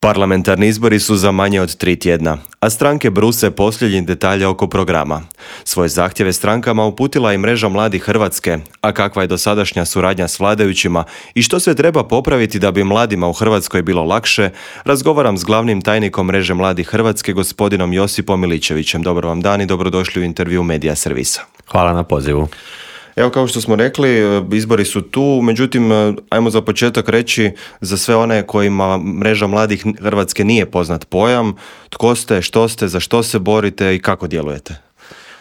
Parlamentarni izbori su za manje od 3 tjedna, a stranke bruse posljednjih detalja oko programa. Svoje zahtjeve strankama uputila i Mreža mladih Hrvatske, a kakva je dosadašnja suradnja s vladajućima i što sve treba popraviti da bi mladima u Hrvatskoj bilo lakše, razgovaram s glavnim tajnikom Mreže mladih Hrvatske, gospodinom Josipom Miličevićem. Dobar vam dan i dobrodošli u intervju Medija Servisa. Hvala na pozivu. Evo, kao što smo rekli, izbori su tu, međutim, ajmo za početak reći za sve one kojima Mreža mladih Hrvatske nije poznat pojam, tko ste, što ste, za što se borite i kako djelujete.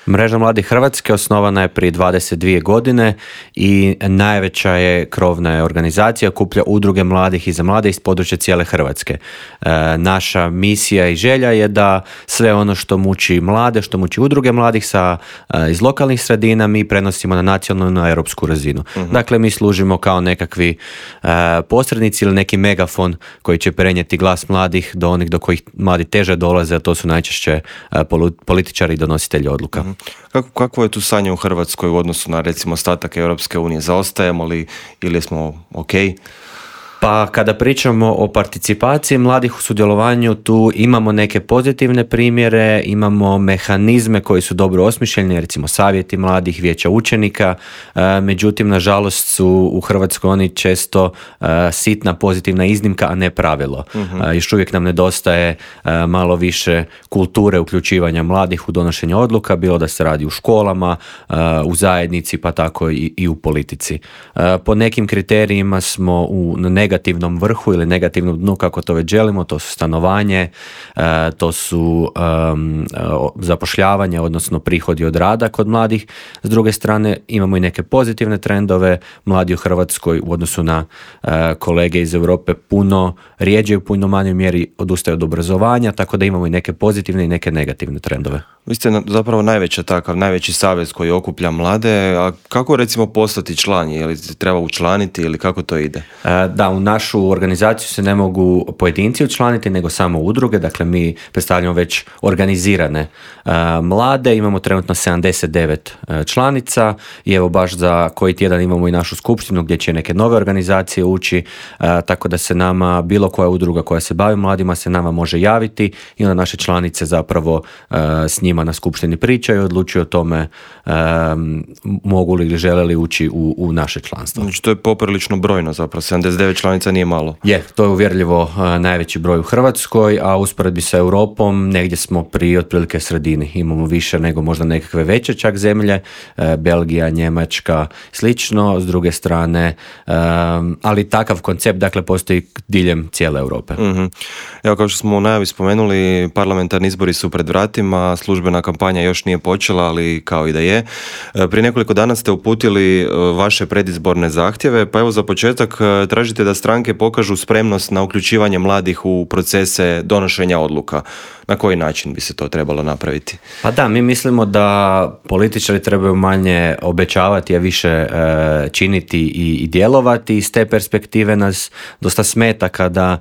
Mreža mladih Hrvatske osnovana je prije 22 godine i najveća je krovna organizacija, okuplja udruge mladih i za mlade iz područja cijele Hrvatske. Naša misija i želja je da sve ono što muči mlade, što muči udruge mladih iz lokalnih sredina mi prenosimo na nacionalnu i europsku razinu. Dakle, mi služimo kao nekakvi posrednici ili neki megafon koji će prenijeti glas mladih do onih do kojih mladi teže dolaze, a to su najčešće političari i donositelji odluka. Kako je tu stanje u Hrvatskoj u odnosu na, recimo, ostatak Europske unije? Zaostajemo li ili smo ok? Pa kada pričamo o participaciji mladih u sudjelovanju, tu imamo neke pozitivne primjere, imamo mehanizme koji su dobro osmišljeni, recimo savjeti mladih, vijeća učenika, međutim, nažalost su u Hrvatskoj oni često sitna pozitivna iznimka, a ne pravilo. Još uvijek nam nedostaje malo više kulture uključivanja mladih u donošenje odluka, bilo da se radi u školama, u zajednici, pa tako i u politici. Po nekim kriterijima smo na negativnom vrhu ili negativnom dnu, kako to već želimo, to su stanovanje, to su zapošljavanje, odnosno prihodi od rada kod mladih. S druge strane, imamo i neke pozitivne trendove. Mladi u Hrvatskoj u odnosu na kolege iz Europe puno rijeđe u puno manjoj mjeri odustaju od obrazovanja, tako da imamo i neke pozitivne i neke negativne trendove. Vi ste zapravo najveći savez koji okuplja mlade, a kako recimo postati član? Je li treba učlaniti ili kako to ide? Da, u našu organizaciju se ne mogu pojedinci učlaniti, nego samo udruge, dakle mi predstavljamo već organizirane mlade, imamo trenutno 79 članica i evo baš za koji tjedan imamo i našu skupštinu gdje će neke nove organizacije ući, tako da se nama bilo koja udruga koja se bavi mladima se nama može javiti i onda naše članice zapravo s njima na skupštini pričaju i odlučuju o tome mogu li ili žele li ući u naše članstvo. Znači to je poprilično brojno zapravo, 79 članica nije malo. Je, to je uvjerljivo najveći broj u Hrvatskoj, a usporedbi sa Europom negdje smo pri otprilike sredini. Imamo više nego možda nekakve veće čak zemlje, Belgija, Njemačka, slično, s druge strane, ali takav koncept dakle postoji diljem cijele Europe. Evo, kao što smo u najavi spomenuli, parlamentarni izbori su pred vratima, službena kampanja još nije počela, ali kao i da je. Prije nekoliko dana ste uputili vaše predizborne zahtjeve, pa evo za početak tražite da stranke pokažu spremnost na uključivanje mladih u procese donošenja odluka. Na koji način bi se to trebalo napraviti? Pa da, mi mislimo da političari trebaju manje obećavati, a više činiti i djelovati. Iz te perspektive nas dosta smeta kada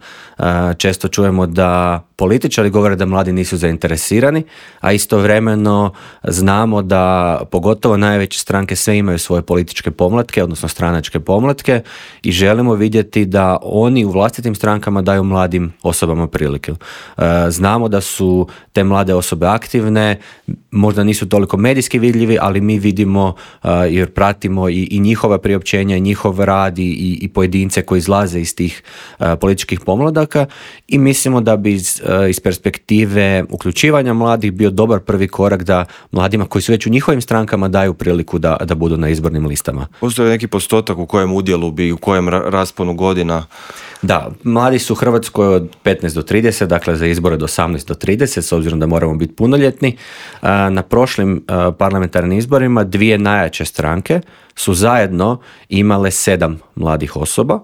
često čujemo da političari govore da mladi nisu zainteresirani, a istovremeno znamo da pogotovo najveće stranke sve imaju svoje političke pomlatke, odnosno stranačke pomlatke i želimo vidjeti da oni u vlastitim strankama daju mladim osobama prilike. Znamo da su te mlade osobe aktivne, možda nisu toliko medijski vidljivi, ali mi vidimo jer pratimo i njihova priopćenja, i njihov rad i pojedince koji izlaze iz tih političkih pomladaka i mislimo da bi iz perspektive uključivanja mladih bio dobar prvi korak da mladima koji su već u njihovim strankama daju priliku da budu na izbornim listama. Postoji neki postotak u kojem udjelu bi, u kojem rasponu godina? Da, mladi su u Hrvatskoj od 15 do 30, dakle za izbore od 18 do 30, s obzirom da moramo biti punoljetni. Na prošlim parlamentarnim izborima dvije najjače stranke su zajedno imale 7 mladih osoba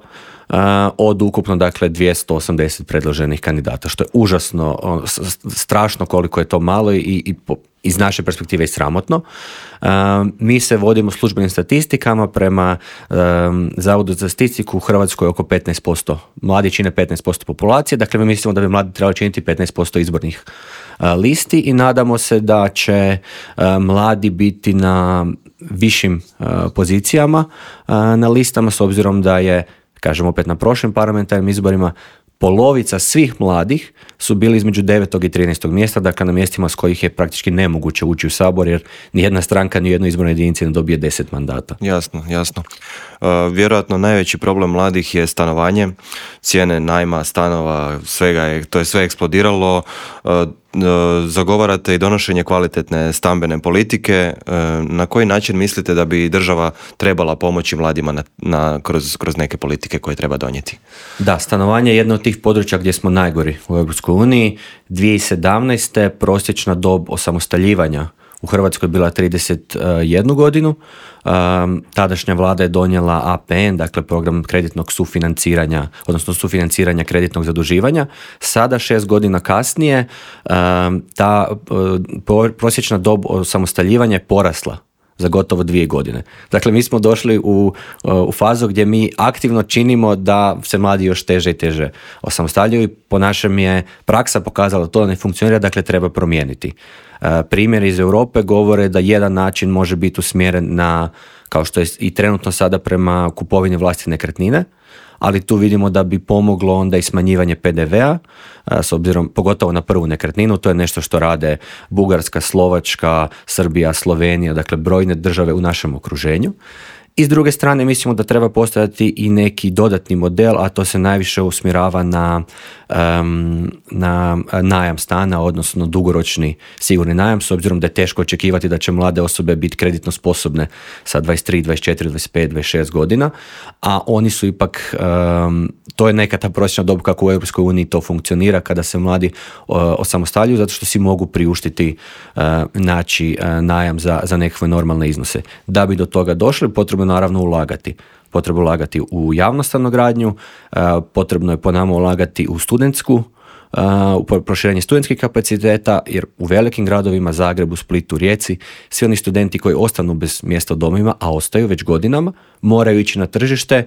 od ukupno dakle 280 predloženih kandidata, što je užasno, strašno koliko je to malo i iz naše perspektive i sramotno. Mi se vodimo službenim statistikama prema Zavodu za statistiku u Hrvatskoj oko 15%. Mladi čine 15% populacije, dakle mi mislimo da bi mladi trebali činiti 15% izbornih listi i nadamo se da će mladi biti na višim pozicijama na listama s obzirom da je, kažem opet, na prošlim parlamentarnim izborima polovica svih mladih su bili između 9. i 13. mjesta, dakle na mjestima s kojih je praktički nemoguće ući u Sabor, jer nijedna stranka, ni jednoj izbornoj jedinici ne dobije 10 mandata. Jasno. Vjerojatno najveći problem mladih je stanovanje, cijene najma, stanova, to je sve eksplodiralo. Zagovarate i donošenje kvalitetne stambene politike. Na koji način mislite da bi država trebala pomoći mladima kroz neke politike koje treba donijeti? Da, stanovanje je jedno od tih područja gdje smo najgori u EU. 2017. prosječna dob osamostaljivanja u Hrvatskoj bila 31 godinu. Tadašnja vlada je donijela APN, dakle program kreditnog sufinanciranja, odnosno sufinanciranja kreditnog zaduživanja. Sada, 6 godina kasnije, ta prosječna dob osamostaljivanja je porasla za gotovo 2 godine. Dakle, mi smo došli u fazu gdje mi aktivno činimo da se mladi još teže i teže osamostaljuju i po našem je praksa pokazala to da ne funkcionira, dakle treba promijeniti. Primjeri iz Europe govore da jedan način može biti usmjeren na, kao što je i trenutno sada, prema kupovini vlastite nekretnine, ali tu vidimo da bi pomoglo onda i smanjivanje PDV-a, s obzirom pogotovo na prvu nekretninu. To je nešto što rade Bugarska, Slovačka, Srbija, Slovenija, dakle brojne države u našem okruženju. I s druge strane mislimo da treba postojati i neki dodatni model, a to se najviše usmjerava na najam stana, odnosno dugoročni sigurni najam, s obzirom da je teško očekivati da će mlade osobe biti kreditno sposobne sa 23, 24, 25, 26 godina, a oni su ipak, to je neka ta prosječna dob kako u EU to funkcionira kada se mladi osamostaljuju, zato što si mogu priuštiti najam za nekakve normalne iznose. Da bi do toga došli, potrebno naravno ulagati. Potrebno ulagati u javnu stanogradnju, potrebno je po nama ulagati u studentsku, u proširenje studentskih kapaciteta, jer u velikim gradovima, Zagrebu, Splitu, Rijeci, svi oni studenti koji ostanu bez mjesta u domovima, a ostaju već godinama, moraju ići na tržište,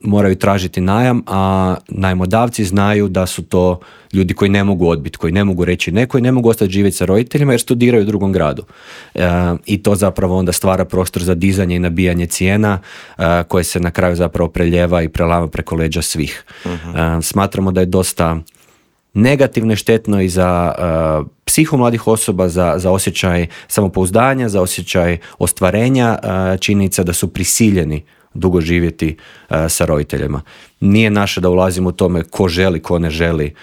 moraju tražiti najam, a najmodavci znaju da su to ljudi koji ne mogu odbiti, koji ne mogu reći ne, koji ne mogu ostati živjeti sa roditeljima jer studiraju u drugom gradu. I to zapravo onda stvara prostor za dizanje i nabijanje cijena koje se na kraju zapravo preljeva i prelama preko leđa svih. Smatramo da je dosta negativno i štetno i za psihu mladih osoba, za osjećaj samopouzdanja, za osjećaj ostvarenja, činjenica da su prisiljeni dugo živjeti sa roditeljima. Nije naše da ulazimo u tome ko želi, ko ne želi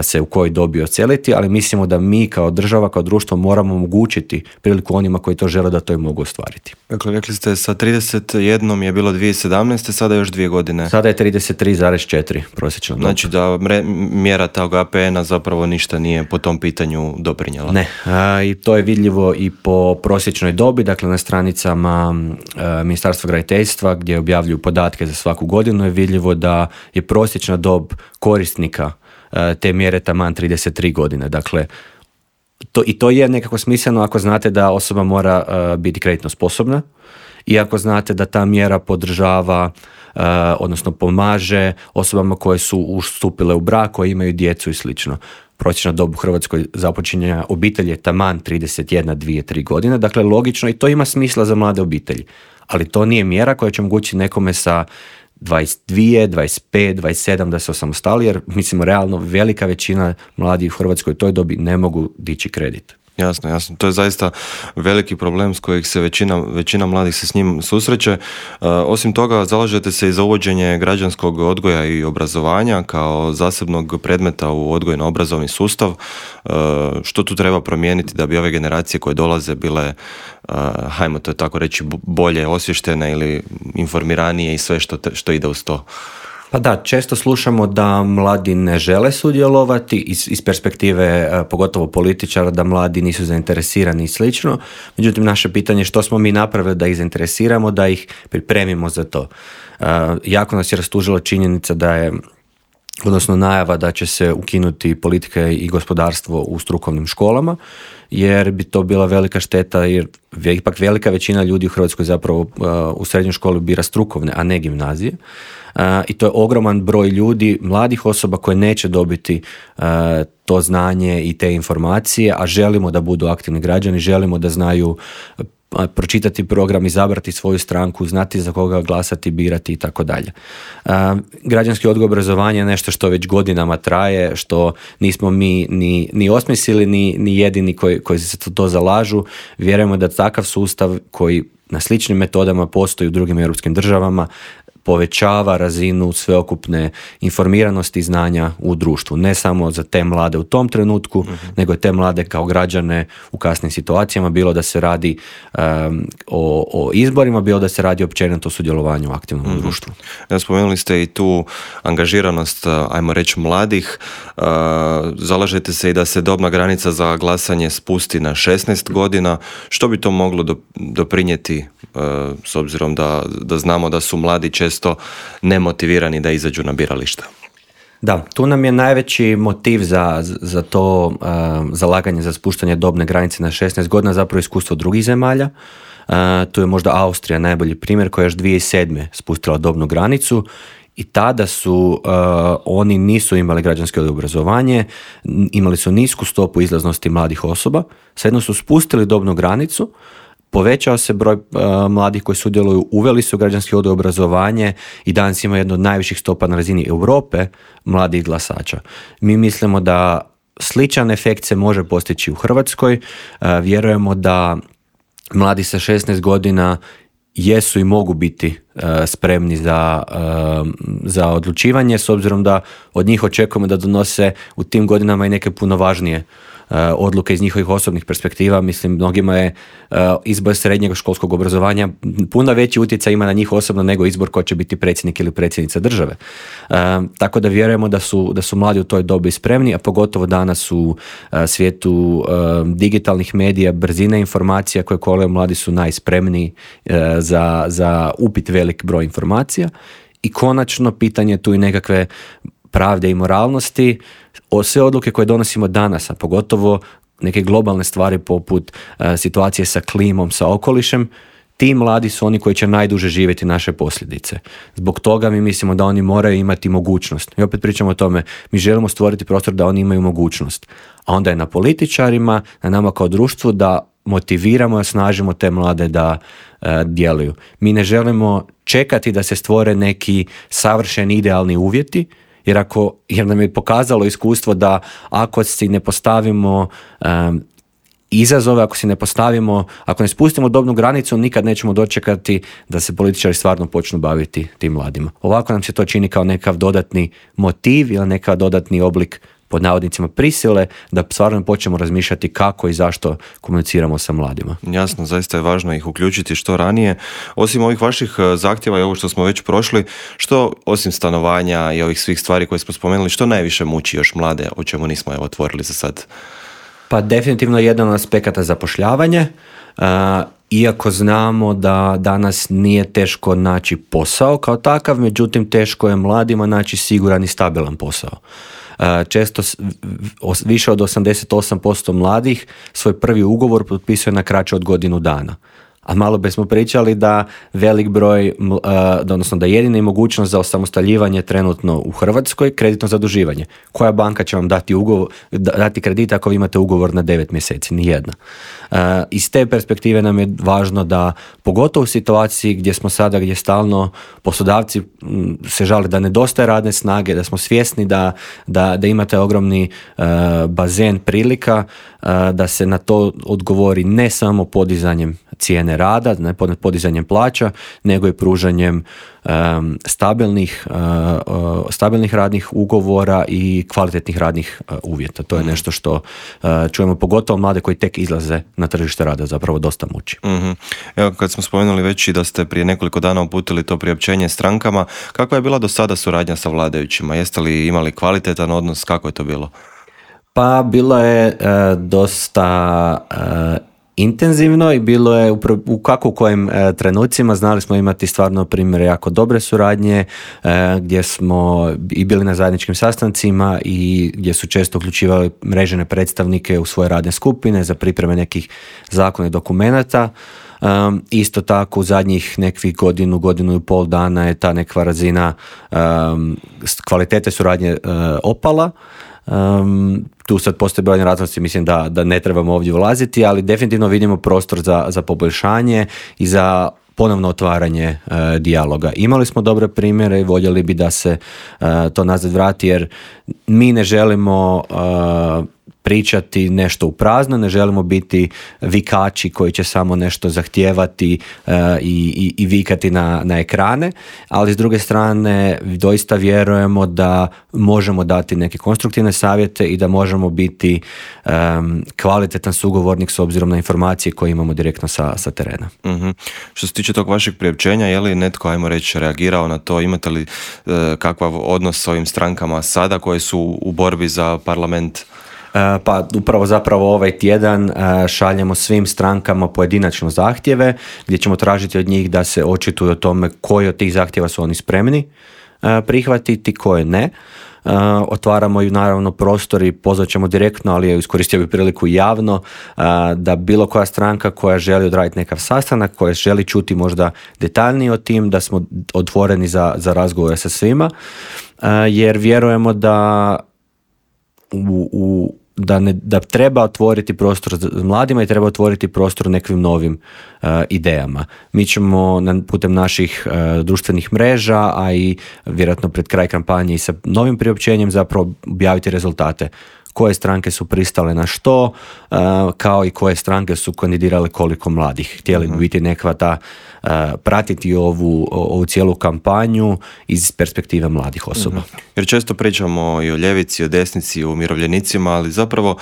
se u kojoj dobi odseliti, ali mislimo da mi kao država, kao društvo moramo omogućiti priliku onima koji to žele da to i mogu ostvariti. Dakle, rekli ste sa 31 je bilo 2017, sada još 2 godine. Sada je 33,4 prosječno. Znači da mjera tog APN-a zapravo ništa nije po tom pitanju doprinjela. Ne, i to je vidljivo i po prosječnoj dobi, dakle na stranicama Ministarstva graditeljstva gdje objavljuju podatke za svaku godinu je vidljivo da je prosječna dob korisnika te mjere taman 33 godine. Dakle, to je nekako smisleno ako znate da osoba mora biti kreditno sposobna i ako znate da ta mjera podržava, odnosno pomaže osobama koje su ustupile u brak, koje imaju djecu i slično. Prosječna dob u Hrvatskoj započinjanja obitelji je taman 31, 2, 3 godine. Dakle, logično i to ima smisla za mlade obitelji. Ali to nije mjera koja će omogućiti nekome sa 22, 25, 27 da se osamostali, jer mislimo realno velika većina mladih u Hrvatskoj u toj dobi ne mogu dići kredit. Jasno. To je zaista veliki problem s kojih se većina mladih se s njim susreće. Osim toga, zalažete se i za uvođenje građanskog odgoja i obrazovanja kao zasebnog predmeta u odgojno-obrazovni sustav. Što tu treba promijeniti da bi ove generacije koje dolaze bile, hajmo to tako reći, bolje osvještene ili informiranije i sve što ide uz to? Pa da, često slušamo da mladi ne žele sudjelovati iz perspektive pogotovo političara, da mladi nisu zainteresirani i slično. Međutim, naše pitanje je što smo mi napravili da ih zainteresiramo, da ih pripremimo za to. Jako nas je rastužila činjenica da je, odnosno najava da će se ukinuti politika i gospodarstvo u strukovnim školama, jer bi to bila velika šteta, jer ipak velika većina ljudi u Hrvatskoj zapravo u srednjoj školi bira strukovne, a ne gimnazije. I to je ogroman broj ljudi, mladih osoba koje neće dobiti to znanje i te informacije, a želimo da budu aktivni građani, želimo da znaju pročitati program, izabrati svoju stranku, znati za koga glasati, birati i tako dalje. Građanski odgoj i obrazovanje je nešto što već godinama traje, što nismo mi ni osmislili, ni jedini koji se to zalažu. Vjerujemo da takav sustav koji na sličnim metodama postoji u drugim europskim državama povećava razinu sveokupne informiranosti i znanja u društvu. Ne samo za te mlade u tom trenutku, nego i te mlade kao građane u kasnim situacijama, bilo da se radi o izborima, bilo da se radi općenito o sudjelovanju u aktivnom društvu. Spomenuli ste i tu angažiranost, ajmo reći, mladih. Zalažete se i da se dobna granica za glasanje spusti na 16 godina. Što bi to moglo doprinijeti, s obzirom da znamo da su mladi često nemotivirani da izađu na birališta? Da, tu nam je najveći motiv za to zalaganje za spuštanje dobne granice na 16 godina zapravo iskustvo drugih zemalja. Tu je možda Austrija najbolji primjer koja je još 2007. spustila dobnu granicu i tada su oni nisu imali građansko obrazovanje, imali su nisku stopu izlaznosti mladih osoba, svejedno su spustili dobnu granicu, povećao se broj mladih koji sudjeluju, uveli su građanski odgoj i obrazovanje i danas ima jedno od najviših stopa na razini Europe mladih glasača. Mi mislimo da sličan efekt se može postići u Hrvatskoj. Vjerujemo da mladi sa 16 godina jesu i mogu biti spremni za odlučivanje, s obzirom da od njih očekujemo da donose u tim godinama i neke puno važnije odluke iz njihovih osobnih perspektiva. Mislim, mnogima je izbor srednjeg školskog obrazovanja puno veći utjecaj ima na njih osobno nego izbor ko će biti predsjednik ili predsjednica države. Tako da vjerujemo da su mladi u toj dobi spremni, a pogotovo danas u svijetu digitalnih medija, brzine informacija koje kolaju, mladi su najspremniji za upit velik broj informacija. I konačno pitanje tu i nekakve pravde i moralnosti. Sve odluke koje donosimo danas, a pogotovo neke globalne stvari poput situacije sa klimom, sa okolišem, ti mladi su oni koji će najduže živjeti naše posljedice. Zbog toga mi mislimo da oni moraju imati mogućnost. I opet pričamo o tome, mi želimo stvoriti prostor da oni imaju mogućnost. A onda je na političarima, na nama kao društvu da motiviramo i osnažimo te mlade da djeluju. Mi ne želimo čekati da se stvore neki savršeni idealni uvjeti, jer nam je pokazalo iskustvo da ako si ne postavimo izazove, ako ne spustimo dobnu granicu, nikad nećemo dočekati da se političari stvarno počnu baviti tim mladima. Ovako nam se to čini kao nekav dodatni motiv ili nekav dodatni oblik pod navodnicima prisile da stvarno počnemo razmišljati kako i zašto komuniciramo sa mladima. Jasno, zaista je važno ih uključiti što ranije. Osim ovih vaših zahtjeva i ovo što smo već prošli, što osim stanovanja i ovih svih stvari koje smo spomenuli, što najviše muči još mlade, o čemu nismo otvorili za sad? Pa definitivno jedan od aspekata zapošljavanje. Iako znamo da danas nije teško naći posao kao takav, međutim teško je mladima naći siguran i stabilan posao. Često više od 88% mladih svoj prvi ugovor potpisuje na kraće od godinu dana. A malo bismo pričali da velik broj, odnosno da jedina mogućnost za osamostaljivanje trenutno u Hrvatskoj kreditno zaduživanje. Koja banka će vam dati kredit ako vi imate ugovor na 9 mjeseci? Nijedna. Iz te perspektive nam je važno da, pogotovo u situaciji gdje smo sada, gdje stalno poslodavci se žale da nedostaje radne snage, da smo svjesni da imate ogromni bazen prilika, da se na to odgovori ne samo podizanjem cijene rada, ne podizanjem plaća, nego i pružanjem stabilnih radnih ugovora i kvalitetnih radnih uvjeta. To je nešto što čujemo, pogotovo mlade koji tek izlaze na tržište rada, zapravo dosta muči. Mm-hmm. Evo, kad smo spomenuli već i da ste prije nekoliko dana uputili to priopćenje strankama, kakva je bila do sada suradnja sa vladajućima? Jeste li imali kvalitetan odnos? Kako je to bilo? Pa bilo je dosta intenzivno i bilo je u kojim trenucima. Znali smo imati stvarno primjere jako dobre suradnje gdje smo i bili na zajedničkim sastancima i gdje su često uključivali mrežene predstavnike u svoje radne skupine za pripreme nekih zakona i dokumenata. Isto tako u zadnjih nekih godinu i pol dana je ta neka razina kvalitete suradnje opala. Tu sad postoje brojne razlozi, mislim da ne trebamo ovdje ulaziti, ali definitivno vidimo prostor za poboljšanje i za ponovno otvaranje dijaloga. Imali smo dobre primjere i voljeli bi da se to nazad vrati, jer mi ne želimo pričati nešto u prazno, ne želimo biti vikači koji će samo nešto zahtijevati i vikati na ekrane, ali s druge strane doista vjerujemo da možemo dati neke konstruktivne savjete i da možemo biti kvalitetan sugovornik s obzirom na informacije koje imamo direktno sa terena. Mm-hmm. Što se tiče tog vašeg priopćenja, je li netko, ajmo reći, reagirao na to? Imate li kakav odnos s ovim strankama sada koje su u borbi za parlament? Pa upravo zapravo ovaj tjedan šaljemo svim strankama pojedinačno zahtjeve gdje ćemo tražiti od njih da se očituju o tome koji od tih zahtjeva su oni spremni prihvatiti, koje ne. Otvaramo i naravno prostor i pozvat ćemo direktno, ali iskoristio bi priliku javno da bilo koja stranka koja želi odraditi nekav sastanak, koja želi čuti možda detaljnije o tim, da smo otvoreni za razgovore sa svima, jer vjerujemo da da treba otvoriti prostor mladima i treba otvoriti prostor nekim novim idejama. Mi ćemo putem naših društvenih mreža, a i vjerojatno pred kraj kampanje i sa novim priopćenjem zapravo objaviti rezultate. Koje stranke su pristale na što, kao i koje stranke su kandidirale koliko mladih. Htjeli bi biti nekakva ta, pratiti ovu cijelu kampanju iz perspektive mladih osoba. Jer često pričamo i o ljevici, o desnici, i o umirovljenicima, ali zapravo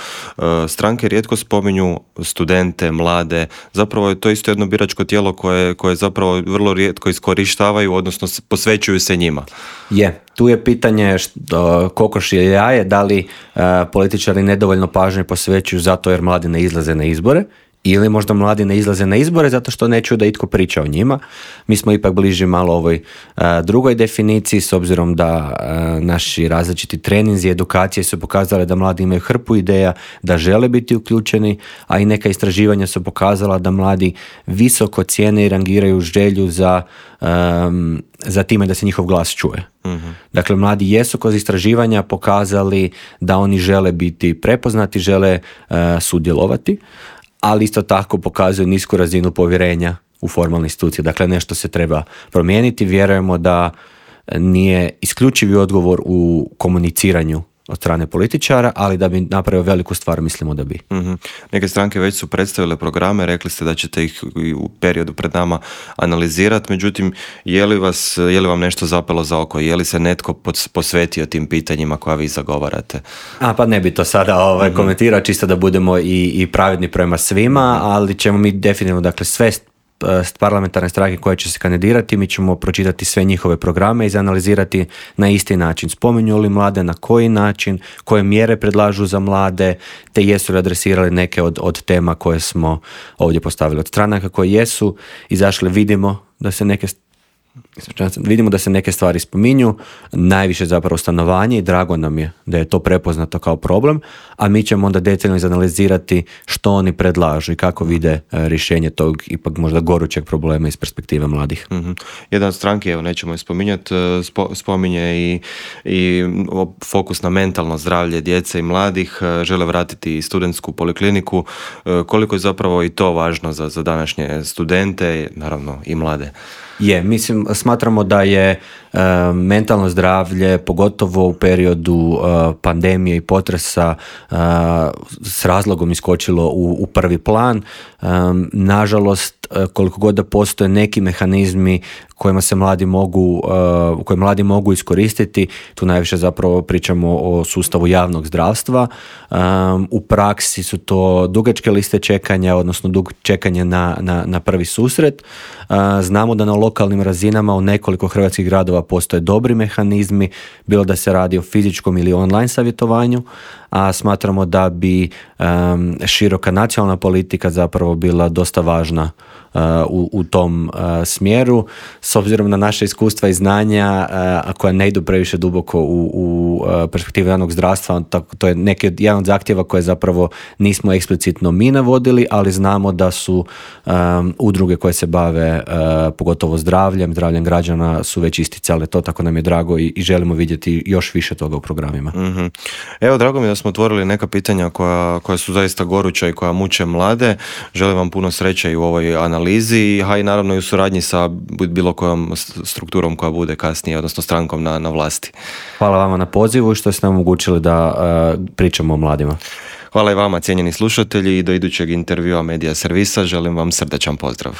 stranke rijetko spominju studente, mlade. Zapravo je to isto jedno biračko tijelo koje zapravo vrlo rijetko iskorištavaju, odnosno posvećuju se njima. Tu je pitanje kokoš je jaje, da li političari nedovoljno pažnje posvećuju zato jer mladi ne izlaze na izbore, ili možda mladi ne izlaze na izbore zato što neću da itko priča o njima. Mi smo ipak bliži malo ovoj drugoj definiciji, s obzirom da naši različiti treninzi i edukacije su pokazale da mladi imaju hrpu ideja, da žele biti uključeni, a i neka istraživanja su pokazala da mladi visoko cijene i rangiraju želju za time da se njihov glas čuje. Mm-hmm. Dakle, mladi jesu kroz istraživanja pokazali da oni žele biti prepoznati, žele sudjelovati, ali isto tako pokazuju nisku razinu povjerenja u formalne institucije. Dakle, nešto se treba promijeniti. Vjerujemo da nije isključivi odgovor u komuniciranju od strane političara, ali da bi napravio veliku stvar, mislimo da bi. Mm-hmm. Neke stranke već su predstavile programe, rekli ste da ćete ih u periodu pred nama analizirati, međutim, je li vam nešto zapelo za oko? Je li se netko posvetio tim pitanjima koja vi zagovarate? Pa ne bi to sada komentirao, čisto da budemo i pravedni prema svima, ali ćemo mi definitivno, dakle, sve parlamentarne stranke koje će se kandidirati, mi ćemo pročitati sve njihove programe i izanalizirati na isti način. Spominju li mlade, na koji način, koje mjere predlažu za mlade, te jesu li adresirali neke od tema koje smo ovdje postavili. Od stranaka koje jesu izašle vidimo da se neke stvari spominju, najviše zapravo stanovanje i drago nam je da je to prepoznato kao problem, a mi ćemo onda detaljno izanalizirati što oni predlažu i kako vide rješenje tog ipak možda gorućeg problema iz perspektive mladih. Mm-hmm. Jedna od stranke, evo nećemo je spominjati, spominje i fokus na mentalno zdravlje djece i mladih, žele vratiti i studentsku polikliniku. Koliko je zapravo i to važno za današnje studente, naravno i mlade? Smatramo da je mentalno zdravlje, pogotovo u periodu pandemije i potresa, s razlogom iskočilo u prvi plan. Nažalost, koliko god da postoje neki mehanizmi koje mladi mogu iskoristiti, tu najviše zapravo pričamo o sustavu javnog zdravstva. U praksi su to dugačke liste čekanja, odnosno čekanje na prvi susret. Znamo da na lokalnim razinama u nekoliko hrvatskih gradova postoje dobri mehanizmi, bilo da se radi o fizičkom ili online savjetovanju, a smatramo da bi široka nacionalna politika zapravo bila dosta važna u tom smjeru, s obzirom na naše iskustva i znanja, a koja ne idu previše duboko u perspektivu javnog zdravstva. To je jedan od zahtjeva koje zapravo nismo eksplicitno mi navodili, ali znamo da su udruge koje se bave pogotovo zdravljem građana su već isticale to, tako nam je drago i želimo vidjeti još više toga u programima. Mm-hmm. Evo, drago mi je da smo otvorili neka pitanja koja su zaista goruća i koja muče mlade. Želim vam puno sreće i u ovoj analizi, a i naravno i u suradnji sa bilo kojom strukturom koja bude kasnije, odnosno strankom na vlasti. Hvala vama na pozivu i što ste nam omogućili da pričamo o mladima. Hvala i vama, cijenjeni slušatelji, i do idućeg intervjua Medija servisa želim vam srdačan pozdrav.